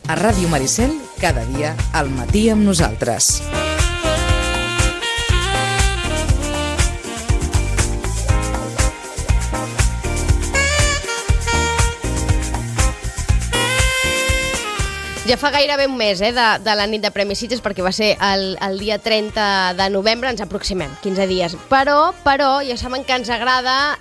A Ràdio Maricel, cada dia al matí amb nosaltres. Ja fa gairebé un mes de la nit de Premis Sitges, perquè va ser el dia 30 de novembre, ens aproximem, 15 dies. Però ja saben que ens agrada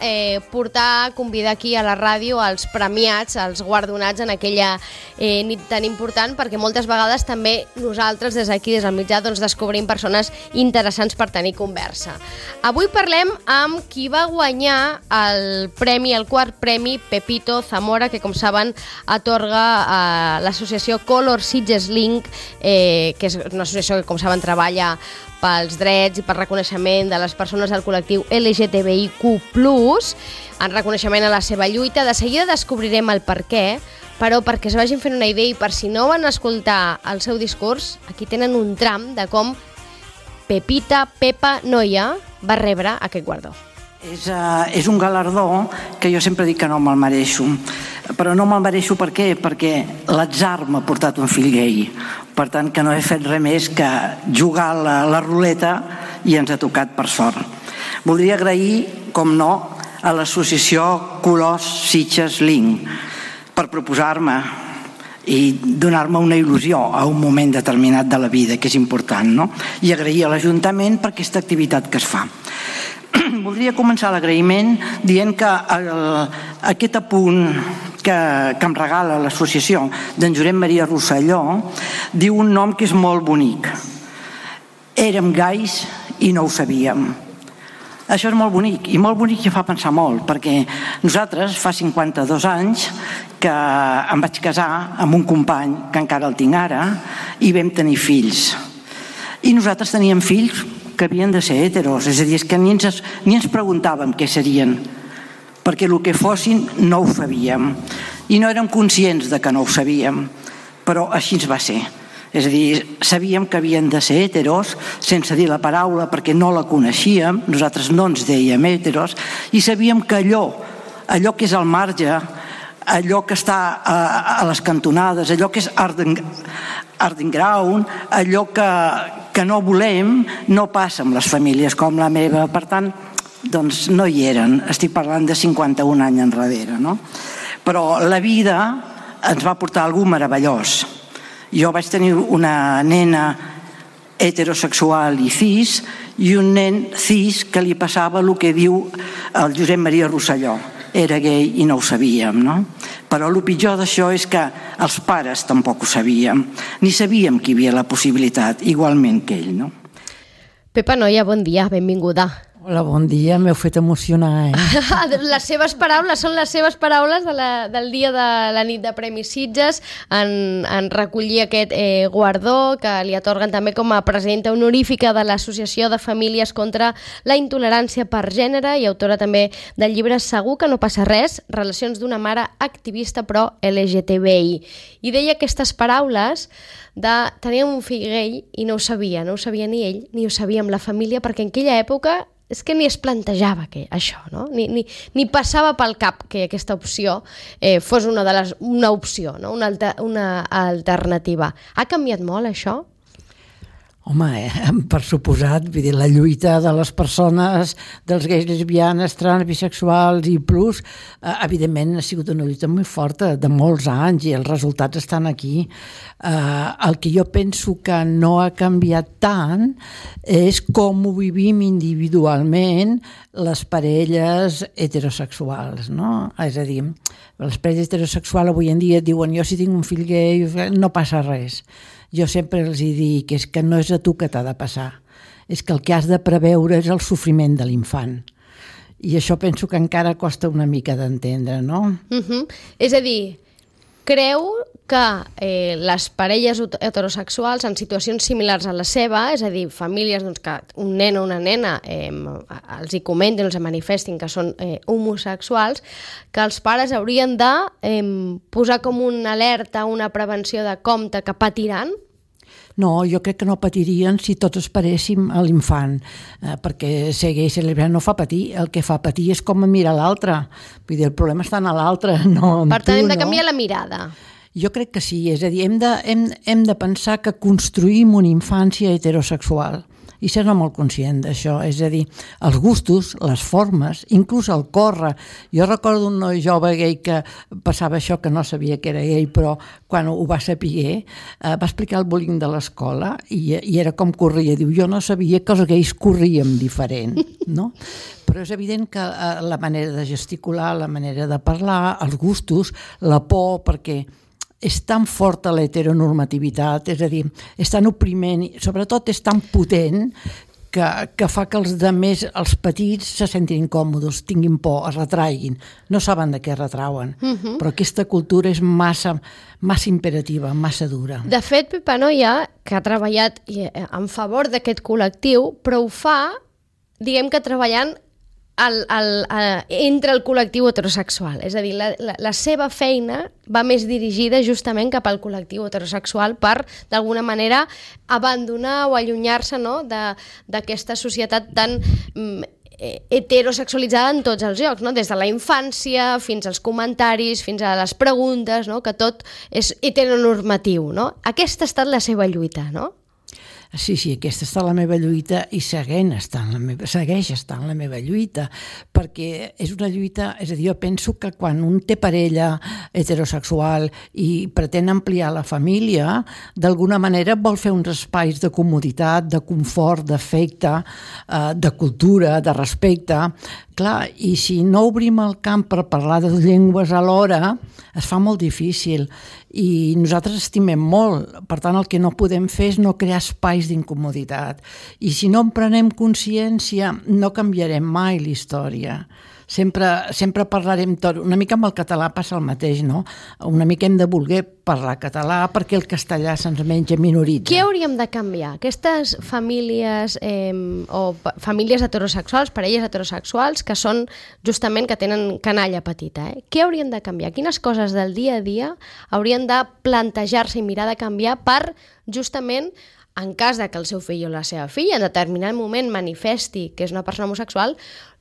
convidar aquí a la ràdio els premiats, els guardonats en aquella nit tan important, perquè moltes vegades també nosaltres des d'aquí, des del mitjà, descobrim persones interessants per tenir conversa. Avui parlem amb qui va guanyar el quart premi Pepito Zamora, que com saben atorga l'associació Color Sitges Link, que és una associació que, com saben, treballa pels drets i per reconeixement de les persones del col·lectiu LGTBIQ+, en reconeixement a la seva lluita. De seguida descobrirem el per què, però perquè es vagin fent una idea i per si no van escoltar el seu discurs, aquí tenen un tram de com Pepa Noia va rebre aquest guardó. És un galardó que jo sempre dic que no me'l mereixo. Però no me'l mereixo per què? Perquè l'atzar m'ha portat un fill gay. Per tant, que no he fet res més que jugar la ruleta i ens ha tocat per sort. Voldria agrair, com no, a l'associació Color Sitges Link per proposar-me i donar-me una il·lusió a un moment determinat de la vida, que és important, no? I agrair a l'Ajuntament per aquesta activitat que es fa. Voldria començar l'agraïment dient que aquest apunt que em regala l'associació d'en Josep Maria Rosselló diu un nom que és molt bonic. Érem gais i no ho sabíem. Això és molt bonic, i molt bonic i fa pensar molt, perquè nosaltres fa 52 anys que em vaig casar amb un company, que encara el tinc ara, i vam tenir fills. I nosaltres teníem fills que havien de ser heteros, és a dir, que ni ens preguntàvem què serien, perquè el que fossin no ho sabíem, i no érem conscients de que no ho sabíem, però així ens va ser. És a dir, sabíem que havien de ser heteros, sense dir la paraula perquè no la coneixíem, nosaltres no ens dèiem heteros, i sabíem que allò que és al marge, allò que està a les cantonades, allò que és underground, allò que no volem, no passa amb les famílies com la meva. Per tant, doncs no hi eren. Estic parlant de 51 anys enrere, no? Però la vida ens va portar algú meravellós. Jo vaig tenir una nena heterosexual i cis, i un nen cis que li passava el que diu el Josep Maria Rosselló. Era gay i no ho sabíem, no? Però el pitjor d'això és que els pares tampoc ho sabíem, ni sabíem que hi havia la possibilitat, igualment que ell, no? Pepa Noia, bon dia, benvinguda. Hola, bon dia, m'heu fet emocionar, Les seves paraules són les seves paraules del dia de la nit de Premis Sitges, en recollir aquest guardó que li atorguen també com a presidenta honorífica de l'Associació de Famílies contra la Intolerància per Gènere i autora també del llibre Segur que no passa res, relacions d'una mare activista pro LGTBI. I deia aquestes paraules de tenir un fill gay i no ho sabia ni ell ni ho sabíem la família, perquè en aquella època és que ni es plantejava això, no? Ni passava pel cap que aquesta opció fos una opció, no? Una alternativa. Ha canviat molt això? Home, per suposat, vull dir, la lluita de les persones, dels gais, lesbianes, trans, bisexuals i plus, evidentment ha sigut una lluita molt forta, de molts anys, i els resultats estan aquí. El que jo penso que no ha canviat tant és com ho vivim individualment les parelles heterosexuals, no? És a dir, les parelles heterosexuals avui en dia diuen jo si tinc un fill gay no passa res. Jo sempre els dic que és que no és a tu que t'ha de passar, és que el que has de preveure és el sofriment de l'infant. I això penso que encara costa una mica d'entendre, no? És a dir, creu que les parelles heterosexuals en situacions similars a la seva, és a dir, famílies que un nen o una nena els hi comentin, els manifestin que són homosexuals, que els pares haurien de posar com una alerta, una prevenció de compte que patiran? No, jo crec que no patirien si tots esperéssim a l'infant, perquè ser gay i ser lesbiana no fa patir, el que fa patir és com mirar l'altre. Vull dir, el problema està en l'altre, no en tu. Per tant, hem de canviar la mirada. Jo crec que sí, és a dir, hem de pensar que construïm una infància heterosexual i ser-ne molt conscient d'això, és a dir, els gustos, les formes, inclús el córrer. Jo recordo un noi jove gay que passava això, que no sabia que era gay, però quan ho va saber, va explicar el bullying de l'escola i era com corria. Diu, jo no sabia que els gais corríem diferent, no? Però és evident que la manera de gesticular, la manera de parlar, els gustos, la por, perquè és tan forta l'heteronormativitat, és a dir, és tan opriment, sobretot és tan potent que fa que els demés, els petits, se sentin incòmodes, tinguin por, es retraiguin. No saben de què retrauen, però aquesta cultura és massa imperativa, massa dura. De fet, Pepa Noia, que ha treballat en favor d'aquest col·lectiu, però ho fa, diguem que treballant entre el col·lectiu heterosexual. És a dir, la seva feina va més dirigida justament cap al col·lectiu heterosexual per, d'alguna manera, abandonar o allunyar-se, no?, d'aquesta societat tan heterosexualitzada en tots els llocs, no? Des de la infància fins als comentaris, fins a les preguntes, no?, que tot és heteronormatiu, no? Aquesta ha estat la seva lluita, no? Sí, aquesta està la meva lluita i segueix estant la meva lluita, perquè és una lluita, és a dir, jo penso que quan un té parella heterosexual i pretén ampliar la família, d'alguna manera vol fer uns espais de comoditat, de confort, d'afecte, de cultura, de respecte. Clar, i si no obrim el camp per parlar de llengües alhora, es fa molt difícil i nosaltres estimem molt, per tant el que no podem fer és no crear espais d'incomoditat i si no en prenem consciència no canviarem mai la història. Sempre parlarem tot, una mica amb el català passa el mateix, no? Una mica hem de voler parlar català perquè el castellà se'ns menja minoritza. Què hauríem de canviar? Aquestes famílies o famílies heterosexuals, parelles heterosexuals, que són justament que tenen canalla petita, què haurien de canviar? Quines coses del dia a dia haurien de plantejar-se i mirar de canviar per justament, en cas de que el seu fill o la seva filla en determinat moment manifesti que és una persona homosexual,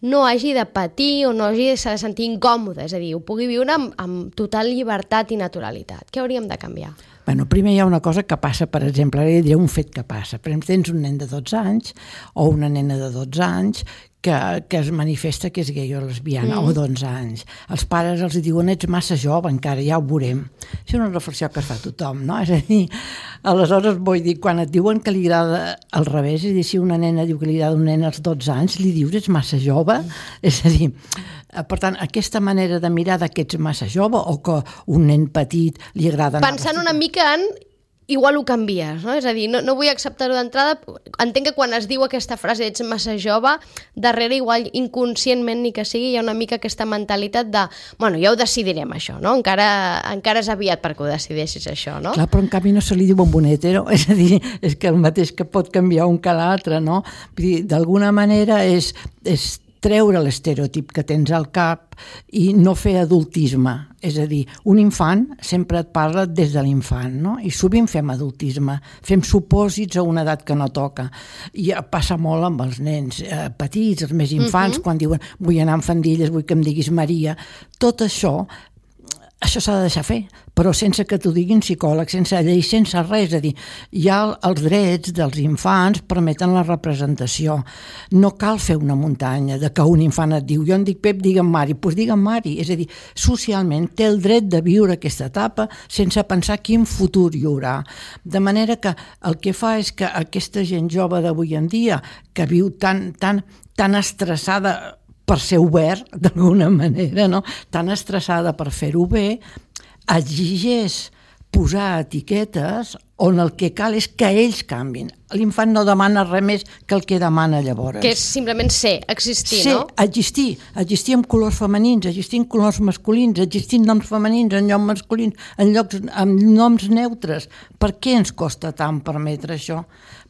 no hagi de patir o no hagi de sentir incòmode, és a dir, ho pugui viure amb total llibertat i naturalitat. Què hauríem de canviar? Bueno, primer hi ha una cosa que passa, per exemple, ara diré un fet que passa. Per exemple, tens un nen de 12 anys o una nena de 12 anys que es manifesta que és gay o lesbiana, o d'11 anys. Els pares els diuen, ets massa jove encara, ja ho veurem. Això és una reflexió que es fa tothom, no? És a dir, aleshores vull dir, quan et diuen que li agrada al revés, és a dir, si una nena diu que li agrada un nen als 12 anys, li dius, ets massa jove? És a dir, per tant, aquesta manera de mirar que ets massa jove o que un nen petit li agrada... Pensant una mica en... igual ho canvies, no? És a dir, no vull acceptar-ho d'entrada. Entenc que quan es diu aquesta frase ets massa jove, darrere igual inconscientment ni que sigui hi ha una mica aquesta mentalitat de bueno, ja ho decidirem això, no? Encara és aviat perquè ho decideixis això, no? Clar, però en canvi no se li diu un hetero, és a dir, és que el mateix que pot canviar un que l'altre, no? Vull dir, d'alguna manera és treure l'estereotip que tens al cap i no fer adultisme. És a dir, un infant sempre et parla des de l'infant, no? I sovint fem adultisme, fem supòsits a una edat que no toca. I passa molt amb els nens petits, els més infants, quan diuen vull anar amb faldilles, vull que em diguis Maria. Tot això s'ha de deixar fer, però sense que t'ho diguin psicòlegs, sense llei, sense res. És a dir, ja els drets dels infants permeten la representació. No cal fer una muntanya de que un infant et diu jo em dic Pep, digue'm Mari, doncs digue'm Mari. És a dir, socialment té el dret de viure aquesta etapa sense pensar quin futur hi haurà. De manera que el que fa és que aquesta gent jove d'avui en dia, que viu tan estressada per ser obert, d'alguna manera, no? Tan estressada per fer-ho bé, exigeix posar etiquetes on el que cal és que ells canvin. L'infant no demana res més que el que demana llavors. Que és simplement ser, existir, no? Existir amb colors femenins, existir amb colors masculins, existir amb noms femenins, amb noms masculins, amb noms neutres. Per què ens costa tant permetre això?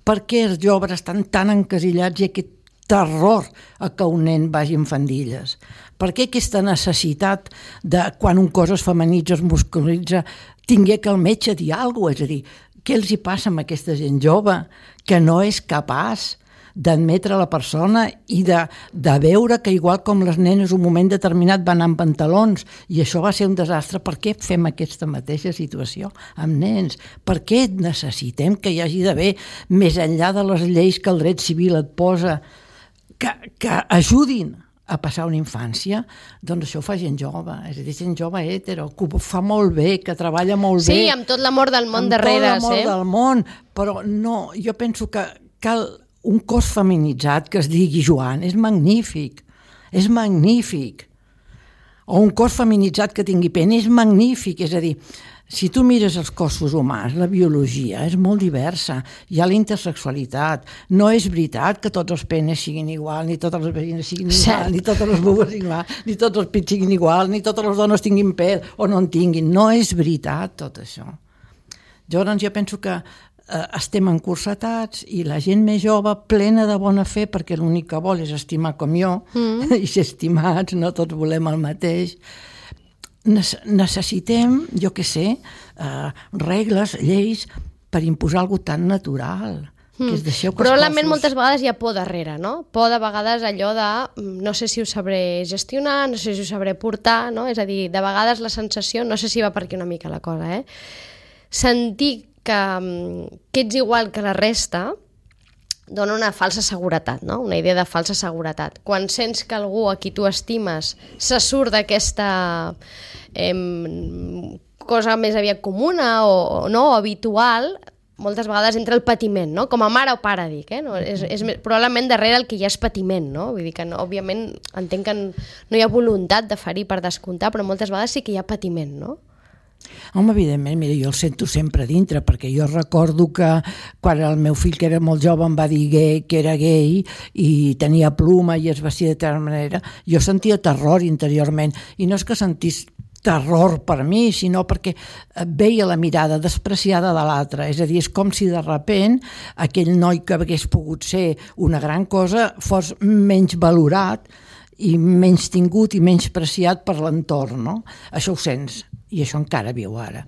Per què els joves estan tan encasillats i aquest terror a que un nen vagi amb faldilles? Per què aquesta necessitat de quan un cos es femenitza, es musculitza, tingué que el metge dir alguna cosa? És a dir, què els hi passa amb aquesta gent jove que no és capaç d'admetre la persona i de veure que igual com les nenes un moment determinat van anar amb pantalons i això va ser un desastre, per què fem aquesta mateixa situació amb nens? Per què necessitem que hi hagi d'haver, més enllà de les lleis que el dret civil et posa, que ajudin a passar una infància? Doncs això ho fa gent jove, és a dir, gent jove hetero, que ho fa molt bé, que treballa molt bé. Sí, amb tot l'amor del món darrere. Amb tot l'amor del món, però no, jo penso que cal un cos feminitzat que es digui Joan, és magnífic, o un cos feminitzat que tingui pena, és magnífic, és a dir, si tu mires els cossos humans, la biologia és molt diversa, hi ha la intersexualitat, no és veritat que tots els penes siguin igual, ni totes les vagines siguin igual, ni totes les vulves igual, ni tots els pits siguin igual, ni totes les dones tinguin pèl o no en tinguin, no és veritat tot això. Llavors jo penso que estem encursetats i la gent més jove, plena de bona fe, perquè l'únic que vol és estimar com jo, i ser estimats, no tots volem el mateix, necessitem, jo què sé, regles, lleis per imposar alguna tan natural. Que es deixeu que probablement moltes vegades hi ha por darrere, no? Por de vegades allò de no sé si ho sabré gestionar, no sé si ho sabré portar, no? És a dir, de vegades la sensació, no sé si va per aquí una mica la cosa, sentir que ets igual que la resta dona una falsa seguretat, no? Una idea de falsa seguretat. Quan sents que algú a qui tu estimes se surt d'aquesta cosa més aviat comuna o no, habitual, moltes vegades entra el patiment, no? Com a mare o pare, dic, no? És probablement darrere el que hi ha és patiment, no? Vull dir que, no, òbviament, entenc que no hi ha voluntat de ferir per descomptar, però moltes vegades sí que hi ha patiment, no? Home, evidentment, mira, jo el sento sempre dintre, perquè jo recordo que quan el meu fill, que era molt jove, em va dir que era gay i tenia pluma i es vestia de tal manera, jo sentia terror interiorment, i no és que sentís terror per mi, sinó perquè veia la mirada despreciada de l'altre, és a dir, és com si de sobte aquell noi que hagués pogut ser una gran cosa fos menys valorat i menys tingut i menys preciat per l'entorn, no? Això ho sents. I això encara viu ara.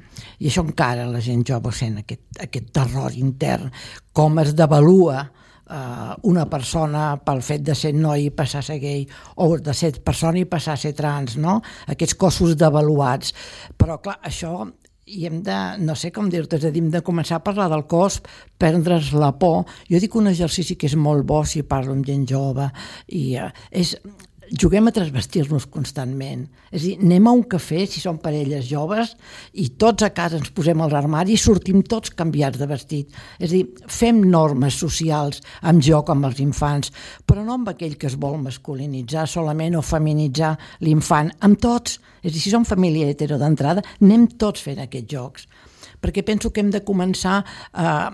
I això encara la gent jove sent aquest terror intern. Com es devalua una persona pel fet de ser noi i passar a ser gay, o de ser persona i passar a ser trans, no? Aquests cossos devaluats. Però, clar, això i hem de, no sé com dir-te, és a dir, hem de començar a parlar del cos, perdre's la por. Jo dic un exercici que és molt bo si parlo amb gent jove, i és... Juguem a transvestir-nos constantment. És a dir, anem a un cafè, si són parelles joves, i tots a casa ens posem als armaris i sortim tots canviats de vestit. És a dir, fem normes socials amb joc amb els infants, però no amb aquell que es vol masculinitzar solament o feminitzar l'infant, amb tots. És a dir, si som família hetero d'entrada, anem tots fent aquests jocs. Perquè penso que hem de començar a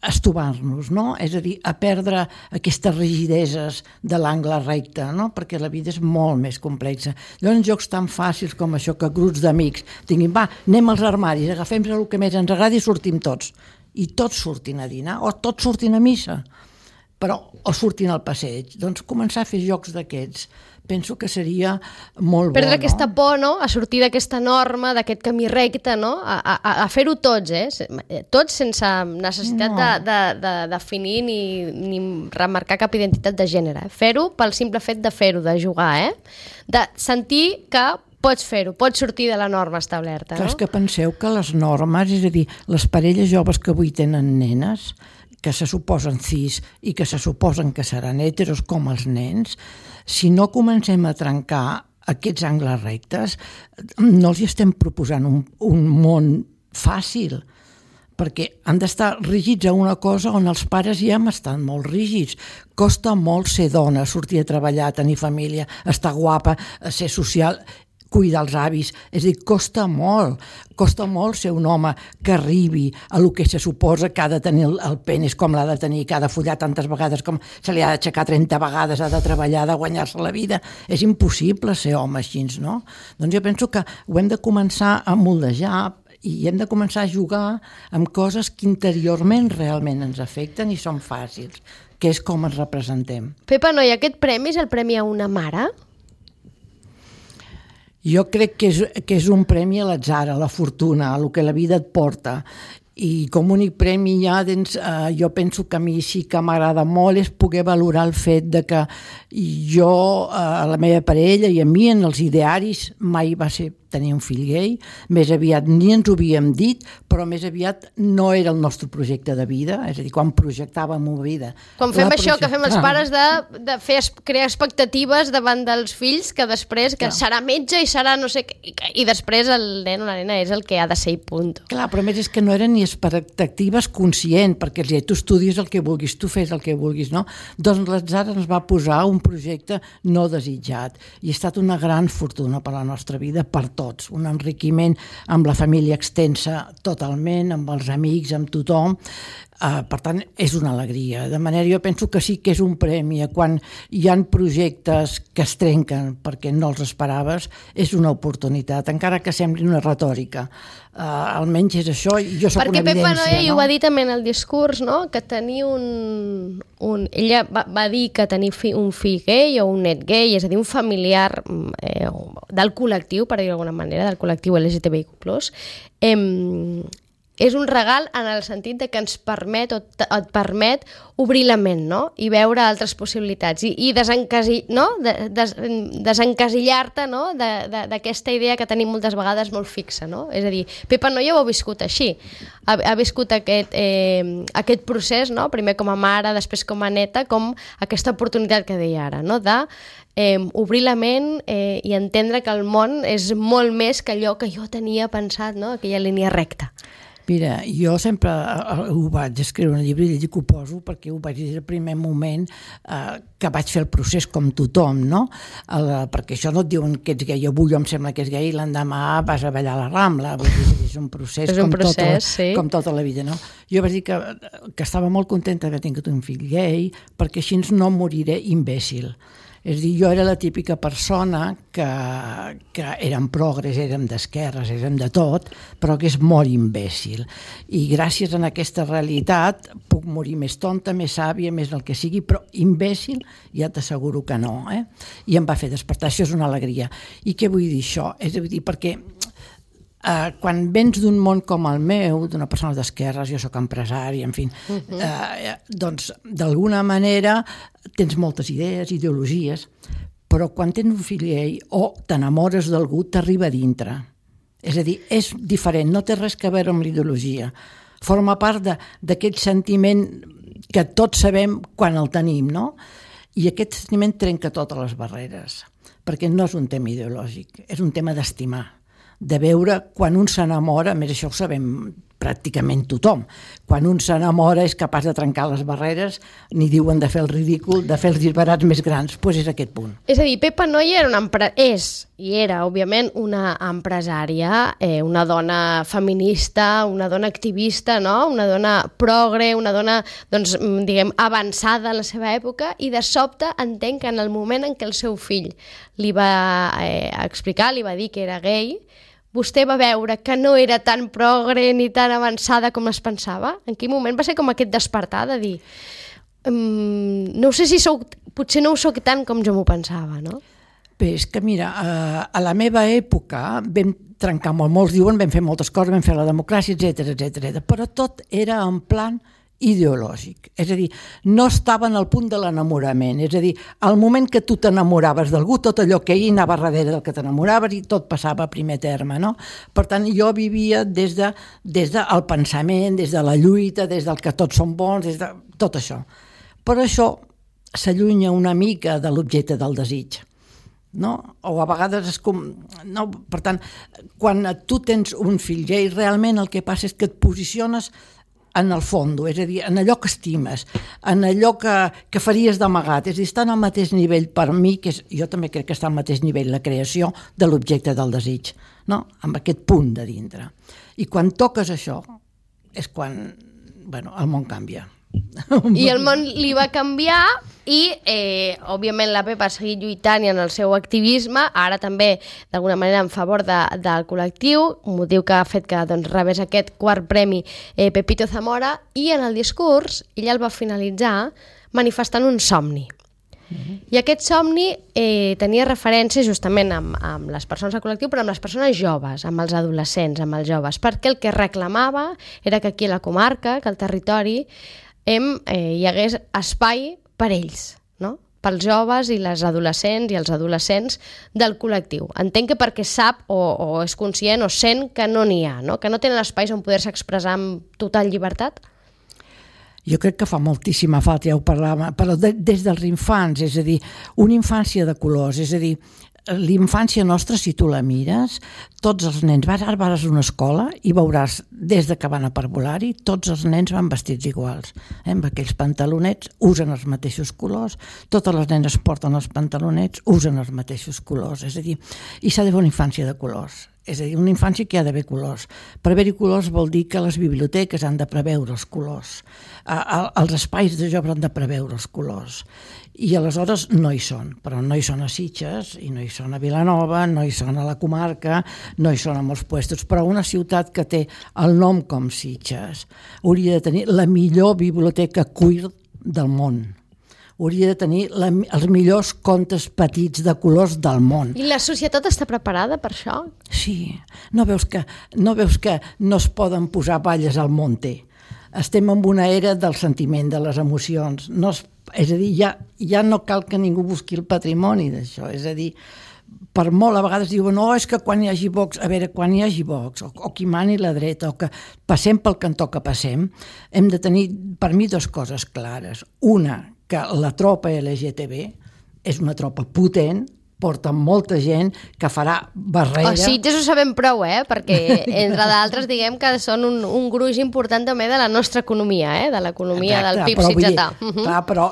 estovar-nos, no? És a dir, a perdre aquestes rigideses de l'angle recte, no? Perquè la vida és molt més complexa. Llavors, jocs tan fàcils com això, que grups d'amics tinguin, va, anem als armaris, agafem el que més ens agrada i sortim tots. I tots surtin a dinar, o tots surtin a missa, però o surtin al passeig. Doncs començar a fer jocs d'aquests. Penso que seria molt bo, perdre aquesta por, no? A sortir d'aquesta norma, d'aquest camí recte, no? A fer-ho tots, tots sense necessitat de definir ni remarcar cap identitat de gènere. Fer-ho pel simple fet de fer-ho, de jugar, de sentir que pots fer-ho, pots sortir de la norma establerta, no? És que penseu que les normes, és a dir, les parelles joves que avui tenen nenes, que se suposen cis i que se suposen que seran heteros com els nens, si no comencem a trencar aquests angles rectes, no els estem proposant un món fàcil, perquè han d'estar rígids a una cosa on els pares ja hem estat molt rígids. Costa molt ser dona, sortir a treballar, tenir família, estar guapa, ser social, cuidar els avis, és a dir, costa molt ser un home que arribi a lo que se suposa que ha de tenir el penis, com l'ha de tenir, que ha de follar tantes vegades, com se li ha d'aixecar 30 vegades, ha de treballar, de guanyar-se la vida. És impossible ser home així, no? Doncs jo penso que ho hem de començar a moldejar i hem de començar a jugar amb coses que interiorment realment ens afecten i són fàcils, que és com ens representem. Pepa, noi, aquest premi és el premi a una mare? Jo crec que és un premi a l'atzar, a la fortuna, a el que la vida et porta. I com a únic premi ja, jo penso que a mi sí que m'agrada molt és poder valorar el fet de que jo, a la meva parella i a mi en els idearis mai va ser tenir un fill gay, més aviat ni ens ho havíem dit, però més aviat no era el nostre projecte de vida, és a dir, quan projectàvem una vida. Quan fem això que fem els pares de crear expectatives davant dels fills, que després que serà metge i serà no sé què, i després el nen o la nena és el que ha de ser i punt. Clar, però a més és que no eren ni expectatives conscient, perquè tu estudies el que vulguis, tu fes el que vulguis, no? Doncs l'atzar ens va posar un projecte no desitjat i ha estat una gran fortuna per a la nostra vida, per tots, un enriquiment amb la família extensa totalment, amb els amics, amb tothom. Per tant, és una alegria. De manera, jo penso que sí que és un premi. Quan hi ha projectes que es trenquen perquè no els esperaves, és una oportunitat, encara que sembli una retòrica. Almenys és això, i jo soc una evidència. Perquè Pepa Noia, i ho va dir també en el discurs, no? Que tenir ella va dir que tenir un fill gay o un net gay, és a dir, un familiar del col·lectiu, per dir-ho d'alguna manera, del col·lectiu LGTBIQ+, és un regal en el sentit de que ens permet o et permet obrir la ment, no? I veure altres possibilitats i desencasillar-te, no? D'aquesta idea que tenim moltes vegades molt fixa, no? És a dir, Pepa Noia ho ha viscut així, ha viscut aquest procés, no? Primer com a mare, després com a neta, com aquesta oportunitat que deia ara, no? De obrir la ment i entendre que el món és molt més que allò que jo tenia pensat, no? Aquella línia recta. Mira, jo sempre ho vaig escriure un llibre i dic que ho poso perquè ho vaig dir el primer moment que vaig fer el procés com tothom, no? Perquè això no et diuen que ets gay, avui em sembla que és gay i l'endemà vas a ballar a la Rambla, vull dir, és un procés, com tota la vida, no? Jo vaig dir que estava molt contenta que tingut un fill gay perquè així no moriré imbècil. És a dir, jo era la típica persona que érem progres, érem d'esquerres, érem de tot, però que és molt imbècil. I gràcies a aquesta realitat puc morir més tonta, més sàvia, més el que sigui, però imbècil ja t'asseguro que no. I em va fer despertar, això és una alegria. I què vull dir això? És a dir, perquè quan vens d'un món com el meu, d'una persona d'esquerres, jo sóc empresari, en fi, doncs d'alguna manera tens moltes idees, ideologies, però quan tens un fill gay o t'enamores d'algú, t'arriba a dintre. És a dir, és diferent, no té res a veure amb l'ideologia. Forma part d'aquest sentiment que tots sabem quan el tenim, no? I aquest sentiment trenca totes les barreres, perquè no és un tema ideològic, és un tema d'estimar, de veure quan un s'enamora, a més això ho sabem pràcticament tothom, quan un s'enamora és capaç de trencar les barreres, ni diuen de fer el ridícul, de fer els disbarats més grans, doncs és aquest punt. És a dir, Pepa Noia era, òbviament, una empresària, una dona feminista, una dona activista, no? Una dona progre, una dona, doncs, diguem, avançada en la seva època, i de sobte entenc que en el moment en què el seu fill li va explicar, li va dir que era gay, vostè va veure que no era tan progre ni tan avançada com es pensava? En quin moment va ser com aquest despertar de dir no sé si potser no ho soc tant com jo m'ho pensava, no? Bé, és que mira, a la meva època vam trencar molt, molts diuen vam fer moltes coses, vam fer la democràcia, etc, però tot era en plan ideològic, és a dir, no estava en el punt de l'enamorament, és a dir, al moment que tu t'enamoraves d'algú, tot allò que hi anava darrere del que t'enamoraves i tot passava a primer terme, no? Per tant, jo vivia des del pensament, des de la lluita, des del que tots som bons, des de tot això. Però això s'allunya una mica de l'objecte del desig, no? O a vegades és com... No, per tant, quan tu tens un fill gay, realment el que passa és que et posiciones en el fons, és a dir, en allò que estimes, en allò que faries d'amagat, és a dir, està en el mateix nivell per mi, que jo també crec que està al mateix nivell la creació de l'objecte del desig, no? Amb aquest punt de dintre. I quan toques això és quan, el món canvia. I el món li va canviar i, òbviament, la Pepa ha seguit lluitant i en el seu activisme, ara també, d'alguna manera, en favor del col·lectiu, un motiu que ha fet que rebés aquest quart premi Pepito Zamora, i en el discurs ella el va finalitzar manifestant un somni. I aquest somni tenia referència justament amb les persones del col·lectiu, però amb les persones joves, amb els adolescents, amb els joves, perquè el que reclamava era que aquí a la comarca, que al territori, hi hagués espai per ells, no? Pels joves i les adolescents i els adolescents del col·lectiu. Entenc que perquè sap o és conscient o sent que no n'hi ha, no? Que no tenen espais on poder-se expressar amb total llibertat? Jo crec que fa moltíssima falta, ja ho parlàvem, però des dels infants, és a dir, una infància de colors, és a dir, l'infància nostra, si tu la mires, tots els nens, vas a una escola i veuràs, des de que van a parvulari, tots els nens van vestits iguals, amb aquells pantalonets, usen els mateixos colors, totes les nenes porten els pantalonets, usen els mateixos colors, és a dir, i s'ha de fer una infància de colors. És a dir, una infància que hi ha d'haver colors. Per haver-hi colors vol dir que les biblioteques han de preveure els colors, els espais de jocs han de preveure els colors, i aleshores no hi són, però no hi són a Sitges, i no hi són a Vilanova, no hi són a la comarca, no hi són a molts puestos, però una ciutat que té el nom com Sitges hauria de tenir la millor biblioteca queer del món. Hauria de tenir els millors contes petits de colors del món. I la societat està preparada per això? Sí. No veus que no es poden posar balles al monte? Estem en una era del sentiment, de les emocions. És a dir, ja no cal que ningú busqui el patrimoni d'això. És a dir, per molt a vegades diuen és que quan hi hagi Vox, a veure, quan hi hagi Vox, o qui mani la dreta, o que passem pel cantó que passem, hem de tenir, per mi, dues coses clares. Una, que la tropa LGTB és una tropa potent, porta molta gent que farà barrera... O Sitges ho sabem prou, perquè entre d'altres diguem que són un gruix important també de la nostra economia, de l'economia del PIB sitgetà. Clar, però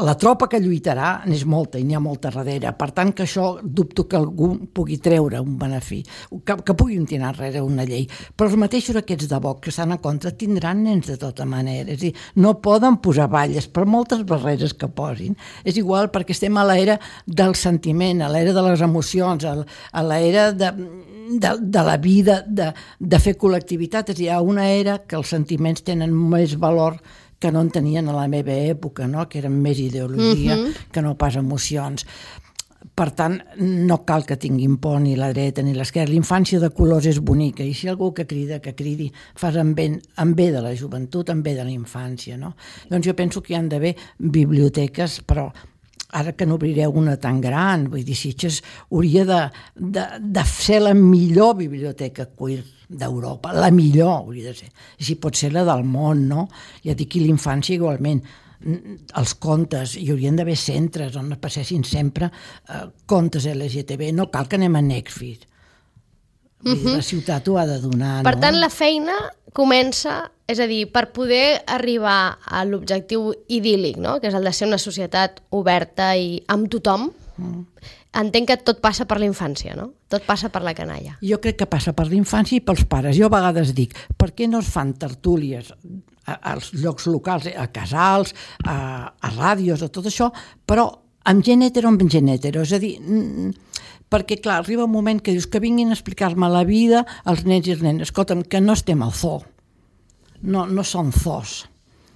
la tropa que lluitarà n'és molta i n'hi ha molta darrere. Per tant, que això dubto que algú pugui treure un benefici, que puguin tirar enrere una llei. Però els mateixos aquests de Vox que estan en contra tindran nens de tota manera. És a dir, no poden posar balles per moltes barreres que posin. És igual perquè estem a l'era del sentiment, a l'era de les emocions, a l'era de la vida, de fer col·lectivitat. És a dir, hi ha una era que els sentiments tenen més valor que no en tenien a la meva època, no? Que eren més ideologia que no pas emocions. Per tant, no cal que tinguin por ni la dreta ni l'esquerra. L'infància de colors és bonica, i si algú que crida, que cridi, fas en bé de la joventut, en bé de la infància, no? Doncs jo penso que hi han d'haver biblioteques, però ara que n'obrireu una tan gran, vull dir, Sitges hauria de ser la millor biblioteca queer d'Europa, la millor hauria de ser, i si pot ser la del món, no? Ja dic, i l'infància igualment, els contes, hi haurien d'haver centres on passessin sempre contes LGTB, no cal que anem a Netflix. La ciutat ho ha de donar, no? Per tant, la feina comença, és a dir, per poder arribar a l'objectiu idíl·lic, no? Que és el de ser una societat oberta i amb tothom, entenc que tot passa per la infància, no? Tot passa per la canalla. Jo crec que passa per la infància i pels pares. Jo a vegades dic, per què no es fan tertúlies als llocs locals, a casals, a ràdios, a tot això, però amb gent hetero o amb gent hetero? És a dir, perquè, clar, arriba un moment que dius que vinguin a explicar-me la vida als nens i les nenes. Escolta'm, que no estem al zoo. No són zoos.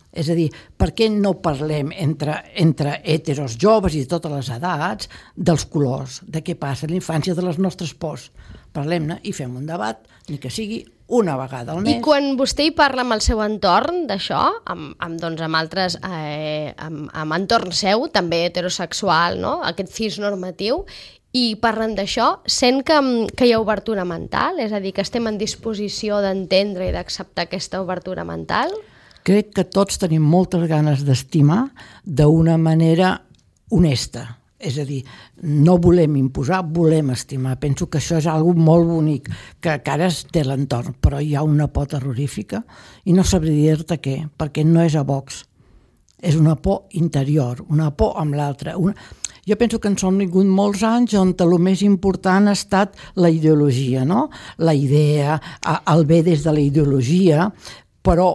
És a dir, per què no parlem entre heteros joves i de totes les edats dels colors, de què passa a la infància, de les nostres pors? Parlem-ne i fem un debat, ni que sigui una vegada al mes. I quan vostè hi parla amb el seu entorn d'això, amb altres, amb entorn seu, també heterosexual, no? Aquest cisnormatiu, i parlen d'això, sent que hi ha obertura mental? És a dir, que estem en disposició d'entendre i d'acceptar aquesta obertura mental? Crec que tots tenim moltes ganes d'estimar d'una manera honesta. És a dir, no volem imposar, volem estimar. Penso que això és una cosa molt bonic, que ara es té l'entorn, però hi ha una por terrorífica i no sabré dir-te què, perquè no és a Vox. És una por interior, una por amb l'altra. Jo penso que ens hem vingut molts anys on el més important ha estat la ideologia, no? La idea, el bé des de la ideologia, però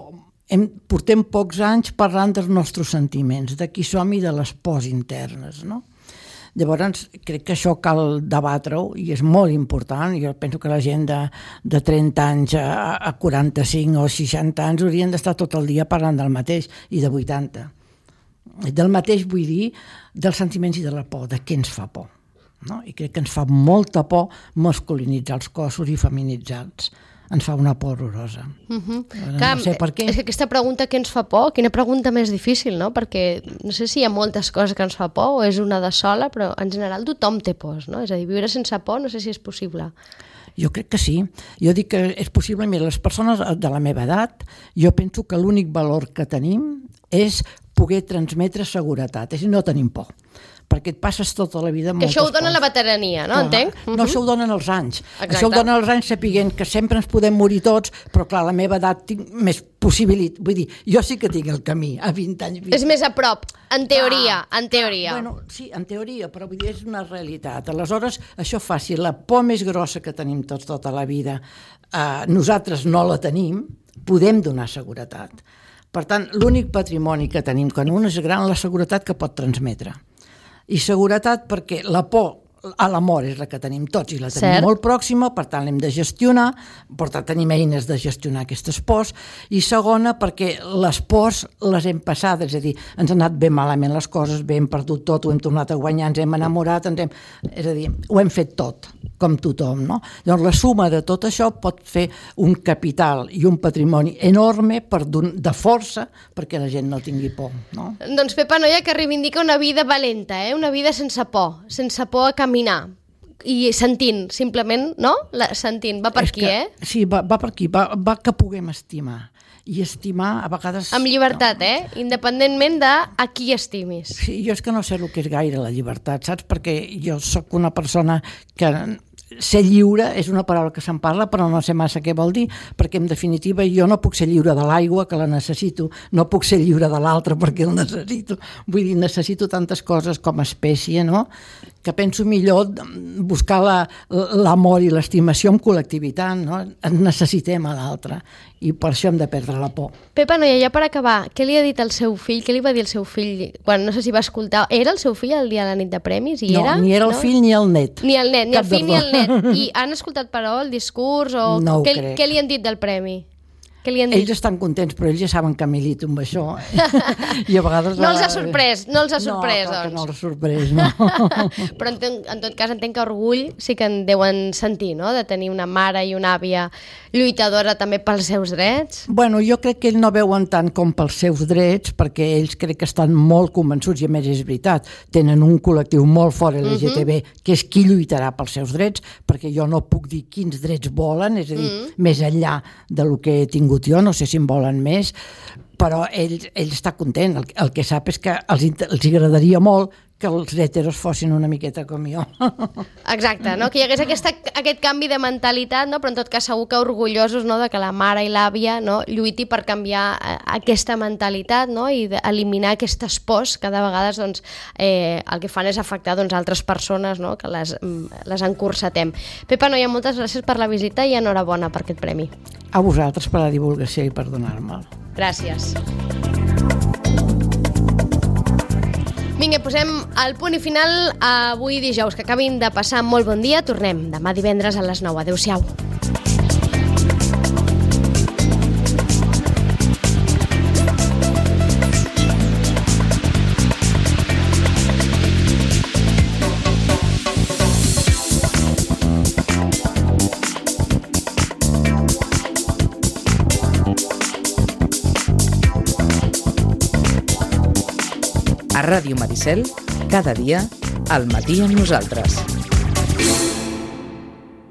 portem pocs anys parlant dels nostres sentiments, de qui som i de les pors internes, no? Llavors, crec que això cal debatre-ho i és molt important. Jo penso que la gent de 30 anys a 45 o 60 anys haurien d'estar tot el dia parlant del mateix, i de 80. Del mateix vull dir dels sentiments i de la por, de què ens fa por. No? I crec que ens fa molta por masculinitzar els cossos i feminitzar-los. Ens fa una por horrorosa. Clar, no sé per què. És que aquesta pregunta què ens fa por, quina pregunta més difícil, no? Perquè no sé si hi ha moltes coses que ens fa por o és una de sola, però en general tothom té pors, no? És a dir, viure sense por no sé si és possible. Jo crec que sí. Jo dic que és possible. Mira, les persones de la meva edat, jo penso que l'únic valor que tenim és poder transmetre seguretat, és a dir, no tenim por. Perquè et passes tota la vida que moltes això ho dona coses. la veterania, no? Entenc? No, això ho donen els anys. Exacte. Això ho donen els anys sapiguent que sempre ens podem morir tots, però clar, a la meva edat tinc més possibilitat. Vull dir, jo sí que tinc el camí a 20 anys. És més a prop, en teoria, en teoria. Bueno, sí, en teoria, però vull dir, és una realitat. Aleshores, això fa, si la por més grossa que tenim tots tota la vida, nosaltres no la tenim, podem donar seguretat. Per tant, l'únic patrimoni que tenim quan un és gran, la seguretat que pot transmetre. I seguretat perquè la por a l'amor és la que tenim tots i la tenim molt pròxima, per tant l'hem de gestionar, per tant tenim eines de gestionar aquestes pors, i segona perquè les pors les hem passades, és a dir, ens han anat ben malament les coses, bé, hem perdut tot, ho hem tornat a guanyar, ens hem enamorat, és a dir, ho hem fet tot, com tothom, no? Llavors la suma de tot això pot fer un capital i un patrimoni enorme de força perquè la gent no tingui por, no? Doncs Pepa Noia, que reivindica una vida valenta, una vida sense por a caminar i sentint, simplement, no? Sentint, va per aquí, Sí, va per aquí, va que puguem estimar. I estimar, a vegades... Amb llibertat, independentment de a qui estimis. Sí, jo és que no sé el que és gaire la llibertat, saps? Perquè jo sóc una persona que... Ser lliure és una paraula que se'n parla, però no sé massa què vol dir, perquè en definitiva jo no puc ser lliure de l'aigua, que la necessito, no puc ser lliure de l'altre perquè el necessito. Vull dir, necessito tantes coses com a espècie, no?, que penso millor buscar l'amor i l'estimació en col·lectivitat, no? Necessitem a l'altre i per això hem de perdre la por. Pepa Noia, ja per acabar, què li ha dit el seu fill, què li va dir el seu fill quan no sé si va escoltar, era el seu fill el dia de la nit de premis? No, ni era el fill ni el net. Ni el net, ni el fill ni el net. I han escoltat, però, el discurs o no ho crec. Què li han dit del premi? Ells estan contents, però ells ja saben que milito amb això. I a vegades... No els ha sorprès, doncs. No, que no els ha sorprès, no. Però en tot cas entenc que orgull sí que en deuen sentir, no?, de tenir una mare i una àvia lluitadora també pels seus drets. Bueno, jo crec que ells no veuen tant com pels seus drets, perquè ells crec que estan molt convençuts, i a més és veritat, tenen un col·lectiu molt fort LGTB, que és qui lluitarà pels seus drets, perquè jo no puc dir quins drets volen, és a dir, més enllà del que he tingut jo, no sé si en volen més, però ell està content. El que sap és que els agradaria molt que els heteros fossin una miqueta com jo. Exacte, no? Que hi hagués aquest canvi de mentalitat, no? Però en tot cas segur que orgullosos, no?, de que la mare i l'àvia, no?, lluiti per canviar aquesta mentalitat, no?, i eliminar aquestes pors que de vegades doncs, el que fan és afectar doncs, altres persones, no?, que les encursetem. Pepa Noia, moltes gràcies per la visita i enhorabona per aquest premi. A vosaltres per la divulgació i per donar-me'l. Gràcies. Vinga, posem el punt i final avui dijous, que acabin de passar molt bon dia. Tornem demà divendres a les 9. Adéu-siau. A Ràdio Maricel, cada dia, al matí amb nosaltres.